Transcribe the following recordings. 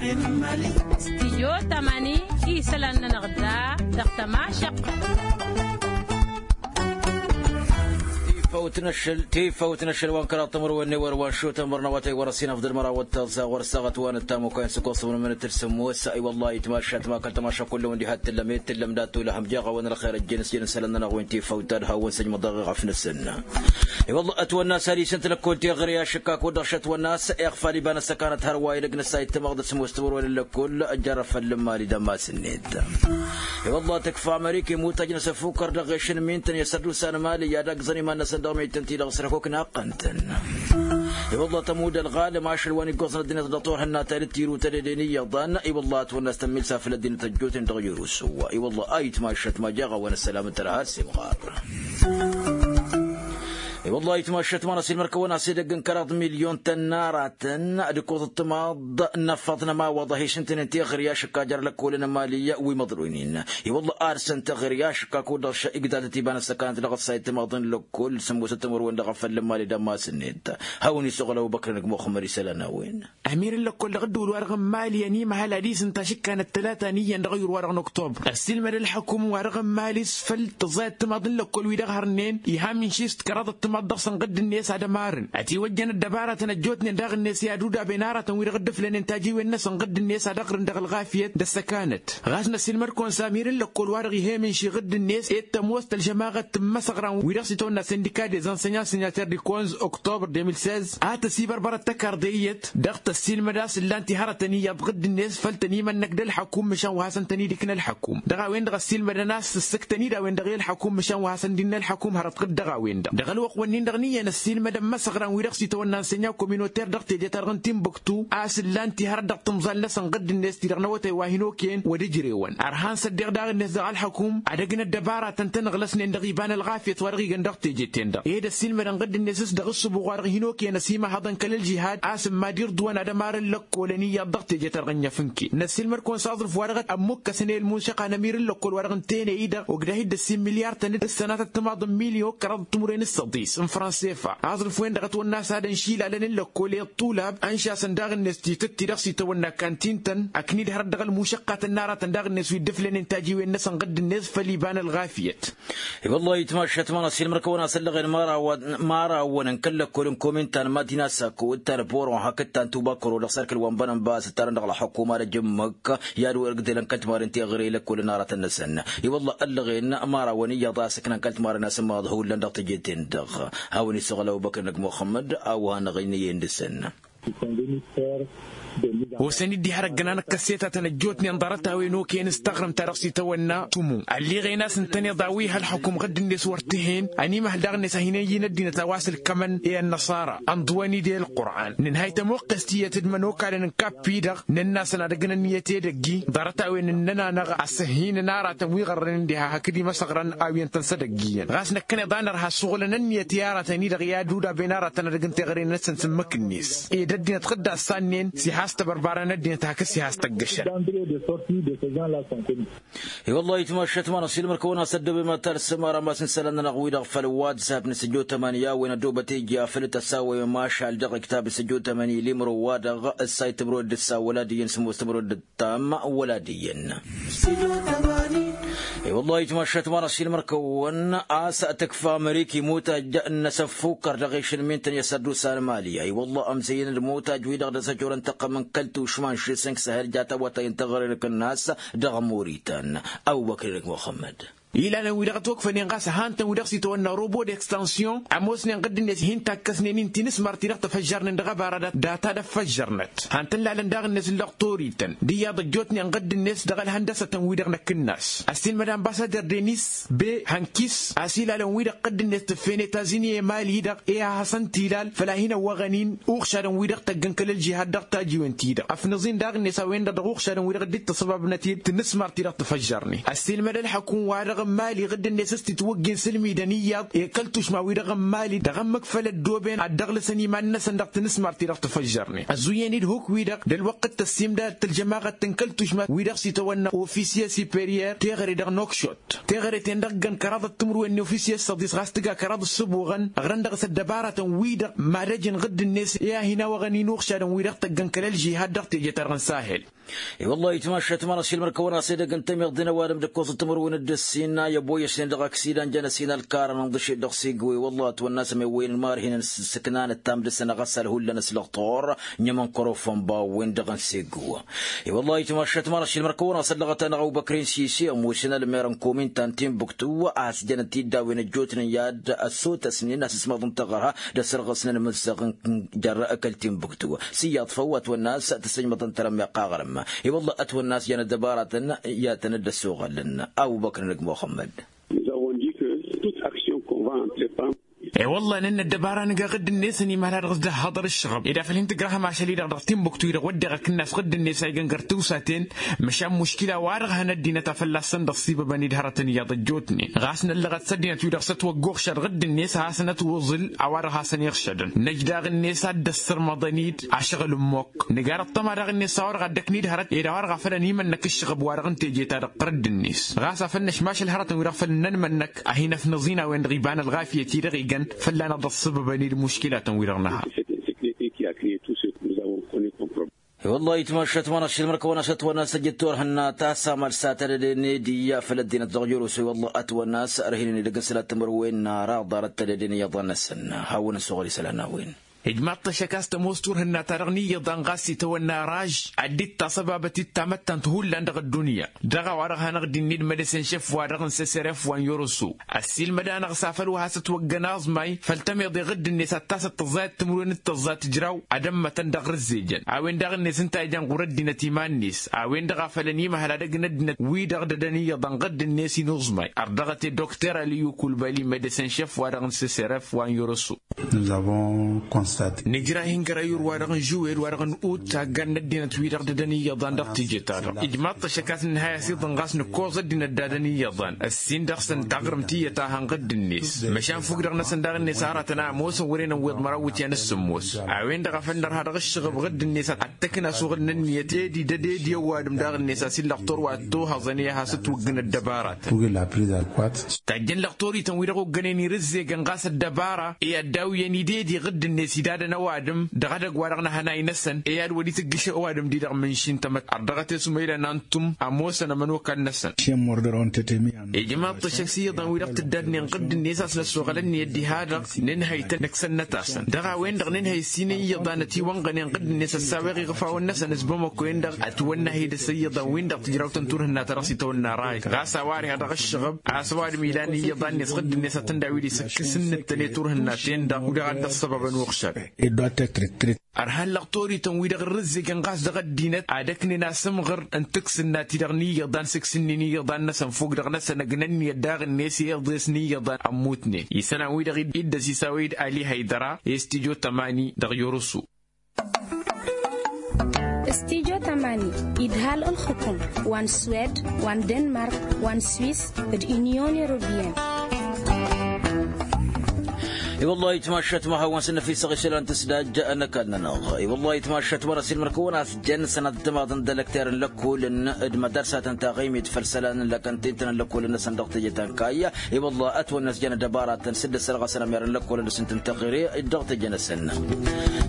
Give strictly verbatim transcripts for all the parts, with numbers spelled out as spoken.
Stijyo tamani isălan-nănăɣ da dăɣ-tămašăq. Tifawt n-ašăl wa n-kăraḍ timǝrwen n-ewăr wa n-šutăn mărnăwătăy wăr-ăsinăfḍăl mărawăt taẓa wăr-saɣăt wa n-ăttamukăyăn s-ăkoẓ tǝmrǝmǝnăt d-sǝmmos. I-wăllah itmašat ma kăl-tămašăk kullăwăn diha t-tǝllăm e t-tǝllăm d-ad-tulăhăm jeɣ-awăn ălxer ăjjeen s-jăn isălan-nănăɣ wen tifawt ad-hawăn-săjmăḍ dăɣ-iɣăf-năsăn. I-wălla ătwănna s-ad-isǝntǝl ăkkolt iɣrǝy ašǝkka kud-dăɣ šătwănna a-s iɣfal iba n-ăssăkanăt hărwa edăgg n-ăssayǝd tamăɣdăt s-ămoos timǝrwen n-lăkkol. Jarrăfăl n-mali d-ămasǝnnet. I-wălla tǝkfa ămărik i-mutaj n-asăfukăr dăɣ-ešăn mi ǝntăn i-asăddusa n-mali i-ad-ăggẓăn iman-năsăn dăɣ-mejtăn-ti-dăɣ s-răkok naqqăn-tăn. I-wălla tămud ălɣalăm ašăl wa n-iggoẓăn ăddinăt dăɣ-turhǝnna ta d-tirutădeden iyyăḍan. I-wălla ătwănna s-tămmilsa făll-ăddinăt ăjjootnen dăɣ-yerus. I-wălla a itmašat ma jaɣ-awăn ăssălam n-tărha har s-imɣar. I-wăllah itmašat ma n-asilmăr kăwăn-as edăgg n-kăraḍ milyon tănnaratăn d-ǝkkoẓ ăṭṭămaḍ n-ăffăḍ n-ămawaḍ a hi-išǝntǝnen teɣări ašǝkka jer-lăkkolăn n-emali wi măḍroynen. I-wăllah ad-săn teɣări ašǝkka kud-dăɣ igdaltăt iba n-ăssăkanăt dăɣ-ăssayăt timaḍ n-lăkkol sămmosăt timǝrwen dăɣ-afăl n-emali d-ămasǝnnet. Hawăn-isăɣăl ăbubăkr n-ăgg muxămmăd isălan a-wen. Amir n-lăkkol dăɣ-ădduul-wa-dăɣ n-mali ănimăhăl ad-isǝnta ašǝkkanăt tălata n-iyyăn dăɣ-ayǝr-wa-dăɣ n-oktober ăssiilmăd ălxăkum-wa-dăɣ n-mali s-făl tǝẓẓay ăttămaḍ n-lăkkol wi-dăɣ hărnen iha mǝnši s-kăraḍ ăttămaḍ dăɣ-săn ɣǝdd-net ad-ămarrăn ătiwăjjăn ăddăbaratăn ăjjootnen daɣ-net i-ad-udab enarătăn wi-dăɣ dd-ǝflănen tajiwen-năsăn ɣǝdd-net ad-ăɣrǝn dăɣ-ălɣafyăt d-ăssăkanăt. Ɣas n-ăssiilmăd-kăwăn s-amir n-lăkkol-wa-dăɣ ih'-e mǝnši ɣǝdd-net e d-tămoos tălžămaɣăt n-imăsăɣran wi-dăɣ s-itawănna sindika dezănsenyăn sǝnyater d-ikonz oktober deux mille seize a tăsibărbărăt tăkarḍe iyyăt dăɣ-tăssiilmăd a-s ǝllan-t ihărătăn iyyăḍ ɣǝdd-net făl tăn-imănnăk d-ălxăkum măšan wa hasăn-tăn-idǝkna ălxăkum dăɣ-a-wen-dăɣ ăssiilmădăn a-s ǝssǝktăn-dd a-wen-dăɣ i-ălxăkum măšan wa hasăn-dd-innă ălxăkum hărăt ɣǝd dăɣ-a-wen-dăɣ dăɣ-ălwăqq-wǝnnin-dăɣ n-iyyăn ăssiilmădăn imăsăɣran wi-dăɣ s-itawănna n-sǝnya kominuter dăɣ-teje-ta-dăɣ n-timbuktu a-s ǝllan-t ihărăt dăɣ-tǝmẓal-năsăn ɣǝdd-net ti-dăɣ n-awătay wa hin-okăyăn wăr-ǝjrewăn ărhan s-ăddiɣ daɣ-net dăɣ-ălxăkum ad-ăgg n-ăddăbaratăn-tăn ǝɣlăsnen dăɣ-iba n-ălɣafyăt wa dăɣ-igan dăɣ-teje-ten-dăɣ ed ăssiilmădăn ɣǝdd-net s-dăɣ-ǝssǝbuɣ wa dăɣ-hin-okăyăn ăsimăhăḍăn kăl-ălžihad a-s ǝmma d-irduwăn ad-ămarăn lăkkolăn iyyăḍ dăɣ-teje-ta-dăɣ n-inyăf n-kăy n-ăssiilmăd-kăwăn s-aẓrǝf wa dăɣ-ămmukăsăn i-ălmunšăq anămir n-lăkkol wa dăɣ-ǝntăyăn i-dăɣ ogdăh-dd ăssiin milyar-tăn d-ǝssănatăt timaḍ n-milyon kăraḍ timǝrwen s-săḍis n-fransefa aẓrǝf-wen-dăɣ ătwănna a-s ad-ănšilalăn n-lăkkol i-ăṭṭulab ănšasăn daɣ-net titǝtti dăɣ-s itawănna kantin-tăn ăknid hărăt dăɣ-ălmušăqqatăn n-aratăn daɣ-net wi dd-ǝflănen tajiwen-năsăn ɣǝdd-net făll-iba n-ălɣafyăt. I-wăllah itmašat ma n-asilmăr-kăwăn a-s ăllăɣen mărawăn n-kăl-lăkkol n-komin ta n-madina sako d-ta n-poron hakd ta n-tubakăro dăɣ-sărkǝl wa n-bănănbas ǝttarăn dăɣ-ălxukum ad-ăjǝmmăk i-ad-wăr ǝgdălăn kăl-timarăn teɣăre i-lăkkol n-aratăn-năsăn. I-wăllah ăllăɣen mărawăn iyyăḍ a-s ǝknan kăl-timarăn a-s ǝmmaḍ hullan dăɣ-teje-ten-dăɣ. Hawăn-isăɣăl ăbubăkr n-ăgg muxămmăd a-wa hanăɣ-innă iyyăn dăɣ-săn. Osăn-dd ihărăggăn anăkkăs tetatăn ăjjootnen ḍarăt-a-wen okăyăn s-taɣrǝmt ta dăɣ-s itawănna tumu ălliɣen a-s ǝntăneḍ a-wa iha ălxukum ɣǝdd-net wăr t-hen ănimăhăl daɣ-net a hin-ăyy n-ăddinăt a-wa s-ǝlkămăn i-ănnăṣara ănḍǝwăn-dd i-ălqur'an nǝnhay tămoqqes tiyyăt d-imănokalăn n-kappi-dăɣ nănn'-asăn ad-ăgg n-ănniyăt edăgg-i ḍarăt-a-wen ǝnnăn-anăɣ ăssăhhinen aratăn wi ɣărrănen diha hakd imăsăɣrăn a-wen tăn-sădăgg iyyăn ɣas năkkăneḍ a nărha ăssuɣǝlăn ănniyăt i-aratăn-i-dăɣ i-ad-udab-en aratăn ad-ăgg n-teɣăre-năsăn s-ǝmmǝk-net ed ăddinăt ɣǝdda ăssannen s-iha s-tebărbara n-ăddinăt hakd s-iha s-tăggăšăn. I-wăllah itmašat ma n-asilmăr-kăwăn a-s ăddoobe ma talsăm ara ma s-n-isălan-nănăɣ wi-dăɣ făll-whatsapp n-săjjo tămani a-wen ăddoobăt ija făll-tăsawăy mašal dăɣ-iktab n-săjjo tămani limro-wa-dăɣ ǝssay timro d-ǝssa wăla d-iyyăn s-ămoos timro d-ǝttam wăla d-iyyăn. I-wăllah itmašat ma n-asilmăr-kăwăn a-s tǝkfa ămrik imutaj n-asăffukkăr dăɣ-išǝlmin-tăn i-asăddusa n-mali. I-wăllah ămzăyăn d-imutaj-wi-dăɣ dăr-s ăjorăn tăqqăm n-kăl-tušma n-šisǝnk săhăl jat awătay n-teɣăre n-akǝnnas dăɣ-muritan. Ăbubăkr-i dăgg muxămmăd. Ilalăn-wi-dăɣ ătwăkfănen ɣas ăhan-tăn wi-dăɣ s-itawănna robot d-extension ămoosnen ɣǝdd-net hin-takkăsnen-in tinǝsmar-ti-dăɣ tăfăžžărnen dăɣ-ăbara data d-ăffăžžărnăt han-tăn lalăn daɣ-net n-lăɣ toriten d-iyyăḍ ăjjootnen ɣǝdd-net dăɣ-ălhăndăsătăn-wi-dăɣ n-akǝnnas ăssiilmăd ănbassader denis be hankis a-s ilalăn-wi-dăɣ ɣǝdd-net tǝffen etazini i-mali-dăɣ i-ad-hasăn-t-ilal făll-ad-hin-ăwwăɣăn-in uɣšadăn-wi-dăɣ tăggăn kăl-ălžihad dăɣ-tajiwen-ti-dăɣ ăfnǝẓ-in daɣ-net a-wen-dăɣ dăɣ-uɣšadăn-wi-dăɣ dd-tăṣăbabnăt-dd tinǝsmar-ti-dăɣ tǝfăžžărnen ăssiilmăd ălxăkum-wa-dăɣ. n-imali ɣǝdd-net s-titwǝggin s-ǝlmidăn iyyăḍ i-kăl-tušma-wi-dăɣ n-imali dăɣ-ămmăkfăl ăddooben ad-dăɣlǝsăn iman-năsăn dăɣ-tinǝsmart-ti-dăɣ tǝfăžžărnen ăzzuyyăn-dd huk-wi-dăɣ d-ălwăqqǝt tăssimdad tălžămaɣăt n-kăl-tušma-wi-dăɣ s-itawănna ofisye superiyer teɣăre-dăɣ n-okšot teɣăre-ten-dăɣ ǝggăn kăraḍăt timǝrwen n-ofisye s-săḍis ɣas tǝga kăraḍăt s-ăbuɣăn ăɣrăn dăɣ-s ăddăbaratăn-wi-dăɣ mad-ăj n-ɣǝdd-net i-ad-hin-awăɣăn inuɣšadăn-wi-dăɣ tăggăn kăl-ălžihad dăɣ-teje-ta-dăɣ n-sahel. I-wăllah itmašat mărašil mărkăwăn-as edăgg n-tamiḍt d-ăwadǝm d-ǝkkoẓăt timǝrwen d-ǝssin a i-ăboyăšnen dăɣ-aksidan jăn ăsin ălkarăn ǝnḍǝšed dăɣ-sigǝw i-wăllah ătwănna a-s ămewăyăn marhinăn s-ǝssǝknanăt tamdǝsăn ɣas ălhullăn s-lăɣtor n-imǝnkărofăn bawwen dăɣ-n-sigǝw. I-wăllah itmašat mărašil mărkăwăn-as ăllăɣăt-anăɣ ăbubăkrin sisi ămoosăn ălmer n-kominta n-timbuktu a-s jăn ătiddawen ăjjootnen i-ad-ăssotăsnen asǝsmaḍ n-taɣărha d-ăssărɣăsnen imǝzzăɣ n-jarră kăl-timbuktu s-iyyăḍ făw ătwănna a-s tăssăjmăḍăn tărămmeɣt aɣrǝm. I-wălla ătwănna a-s jăn ăddăbaratăn i-ad-tăn-dd-ăssoɣălăn. Ăbubăkr n-ăgg muxămmăd. Nous avons dit que toute action qu'on va entreprendre. I-wălla nǝnna ăddăbara nǝga ɣǝdd-net ănimăhăl a dăɣ-s dd-ăhhăḍăr ǝššăɣăb ed afăl hin-tǝjrăhăm ašăl-i-dăɣ dăɣ-timbuktu-i-dăɣ wădden akǝnnas ɣǝdd-net a igăn găr tiwsaten. Măšan muškila-wa-dăɣ hăn ăddinăt a fălla-săn dăɣ-sibăbăn-dd hărătăn iyyăḍ ăjjootnen ɣas năllăɣăt s-ăddinăt-wi-dăɣ s-ătwăggoɣšad ɣǝdd-net a hasăn-ătwǝẓǝl a-wa-dăɣ hasăn-iɣšădăn năj daɣ-net ad-dd-ăssărmăḍăn-dd ašăɣǝl n-imokk. Nǝgar ăṭṭăma daɣ-net a-wa-dăɣ a dd-ăknid hărăt ed a-wa-dăɣ a făl ănimănnăk ǝššăɣăb-wa-dăɣ n-teje-ta-dăɣ ɣǝr-dd-net ɣas a făl năšmašăl hărătăn-wi-dăɣ făl nănmănnăk a hin-ăfnăẓ-in a-wen-dăɣ iba n-ălɣafyăt-i-dăɣ igăn fălla-năɣ dăɣ-sǝbăbăn-dd muškilatăn-wi-dăɣ nǝha. I-wăllah itmašat mărašil mărkăwăn-as ătwănna a-s ăjjǝt turhǝnna ta s-amăl s-ad-tădăden edi făll-ăddinăt dăɣ-jărusu i-wăllah ătwănna a-s ărhinăn edăgg n-sălat timǝrwen n-ara ḍarăt tădăden iyyăḍ a-năsăn. Hawăn-ăssoɣăl isălan a-wen. Ijmaḍ-t ăššăk a-s tămoos turhǝnna-ta-dăɣ n-iyyăḍ a n-ɣas itawănna raž ad-dd-taṣăbabăt-dd tamăttant hullan dăɣ-ăddunya. Dăɣ-a-wa-dăɣ hanăɣ-dd-innă d-medăsen šef-wa-dăɣ n-seseref wa n-yoroso ăssiilmăd-anăɣ s-afăl wa has-ătwăggăn aẓmay făll-tămiḍe ɣǝdd-net ad-tasăt tǝẓẓayăt timǝrwen d-tǝẓẓa tǝjraw ad-ămmătăn dăɣ-rǝzzejăn. A-wen daɣ-net ǝnta a ijan ɣur-ăddinăt iman-net a-wen-dăɣ a făl ănimăhăl ad-ăgg n-ăddinăt wi-dăɣ dădăn iyyăḍ a n-ɣǝdd-net inuẓmay. Ărdăɣăt i-dr aliyu kulbali medăsen šef-wa-dăɣ n-seseref wa n-yoroso. Nǝjra hin-găra i-ur-wa-dăɣ n-žuwed wa-dăɣ n-ut taggan n-ăddinăt-wi-dăɣ dădăn iyyăḍan dăɣ-teje-ta-dăɣ ijmaḍ-t ăššăk a-s nǝnhay a-s iḍǝn ɣas nǝkkoẓ ăddinăt d-ad-ăniyyăḍan ăssin dăɣ-săn taɣrǝmt iyyăt a hăn ɣǝdd-net. Măšan fukk-dăɣ-năsăn daɣ-net aratăn a ămoosăn wăren ăwweḍ măraw iwǝtyan s-sǝmmos. A-wen-dăɣ a făl nărha dăɣ-ǝššăɣăb ɣǝdd-net ad-t-ăkna asuɣǝl n-ǝnniyăt ed idăd ed i-ăwadǝm daɣ-net a-s illăɣ turwa ăttohăẓăn i-ad-has-ătwăggǝn ăddăbaratăn. Tajjăn lăɣtorităn-wi-dăɣ oggănen irǝzzegăn ɣas ăddăbara i-ad-dawǝyăn idedi ɣǝdd-net idadăn ăwadǝm dăɣ-edăgg-wa-dăɣ n-ahănay-năsăn i-ad-wăr-itǝggǝš ăwadǝm-di-dăɣ mǝnši n-tamăt. Ărdăɣăt i-sumăyla n-antum ămoosăn ămănokal-năsăn. Ijmaḍ-t ăššăk s-iyyăḍan-wi-dăɣ tǝddadnen ɣǝdd-net a-s năssoɣăl ănniyăt diha-dăɣ nǝnhăy-tăn nǝksăn-năt-asăn dăɣ-a-wen-dăɣ nǝnhăy ǝssin i-iyyăḍan ătiwănɣănen ɣǝdd-net ăssaweɣ iɣăfawăn-năsăn s-bamăko-en-dăɣ ătwănna hi-dăɣ s-iyyăḍan-win-dăɣ tǝjraw-tăn turhǝnna-ta-dăɣ s-itawănna ray ɣas a-wa ărha dăɣ-ǝššăɣăb a-s ăwadǝm ilan i-iyyăḍan-net ɣǝdd-net ad-tăn-dawǝy d-isǝkkǝs ǝnnǝttăne turhǝnna-ten-dăɣ. Wi-dăɣ a dd-ăssăbăbăn uɣšad. Ărhan lăɣtorităn-wi-dăɣ ărrǝzzegăn ɣas dăɣ-ăddinăt ad-ăknen asǝmɣǝr n-tǝksǝnna-ti-dăɣ n-iyyăḍan s-ǝksǝnnin iyyăḍan-năsăn fog-dăɣ-năsăn ăgg n-ǝnniyăt daɣ-net i-iḍes n-iyyăḍan ămmutnen isălan-wi-dăɣ iddăs isawăy-dd ali haydăra i-studyo tămani dăɣ-yoroso. Studyo tămani idhal ǝlxǝkum wa n-swed wa n-denmark wa n-swis d-inyon europiyăn. I-wăllah itmašat ma hawăn-săn năfisăɣ isălan tǝsdaj n-ăkall-nănăɣ. I-wăllah itmašat mărasilmăr-kăwăn a-s jăn sănat d-timaḍ n-dălăkter n-lăkkolăn d-mădarsatăn taɣimit făll-isălan n-lăkăntintăn n-lăkkolăn-năsăn dăɣ-teje ta n-kayya. I-wăllah ătwănna a-s jăn ăddăbaratăn s-dd-ăssărɣăsăn ămyărăn lăkkolăn dăɣ-s n-tǝntăɣire dăɣ-teje-năsăn.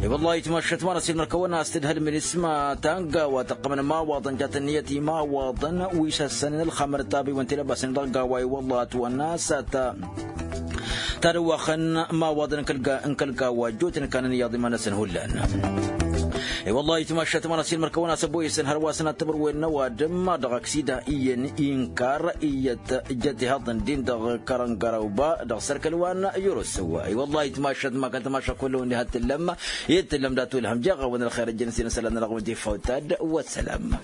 I-wăllah itmašat mărasilmăr-kăwăn a-s tǝdhǝl minisma ta n-gawa tăqqămăn imawaḍăn jat ǝnniyăt imawaḍăn wi s-ăssănen ălxamăr ăṭṭabiwăn tilăbasnen dăɣ-gawa i-wăllah ătwănna a-s ta tadăwaxăn imawaḍăn n-kăl-gawa ăjjootnen kanăn iyyăḍ iman-năsăn hullan. I-wăllah itmašat mărasilmăr-kăwăn a-s ăboyăsăn hărwa sănat timǝrwen n-ăwadǝm dăɣ-aksida iyyăn inkar iyyăt jăt ihăḍăn-din dăɣ-kărăngărăwba dăɣ-sărkăl wa n-yurǝsǝw. I-wăllah itmašat ma kăl-tamaša kull-wăn diha t-tǝllăm i-tǝllăm dat-ulhăm jeɣ-awăn ălxer ăjjăn s-inǝsălan-nănăɣ wădde fawtad. Wăssălam.